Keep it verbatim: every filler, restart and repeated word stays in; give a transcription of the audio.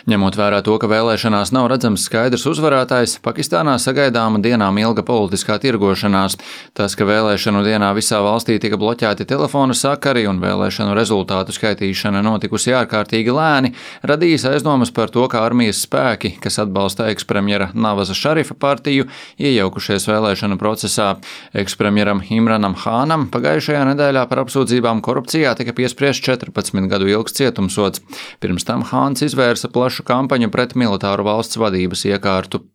Ņemot vērā to, ka vēlēšanās nav redzams skaidrs uzvarētājs, Pakistānā sagaidāma dienām ilga politiskā tirgošanās. Tas, ka vēlēšanu dienā visā valstī tika bloķēti telefona sakari un vēlēšanu rezultātu skaitīšana notikusi ārkārtīgi lēni, radījis aizdomas par to, ka armijas spēki, kas atbalsta ekspremjera Navaza Šarifa partiju, iejaukušies vēlēšanu procesā. Ekspremjeram Imranam Hānam pagājušajā nedēļā par apsūdzībām korupcijā tika piespriests četrpadsmit gadu ilgs cietumsods. Pirms tam Hāns izvērsa plašu kampaņu pret militāru valsts vadības iekārtu.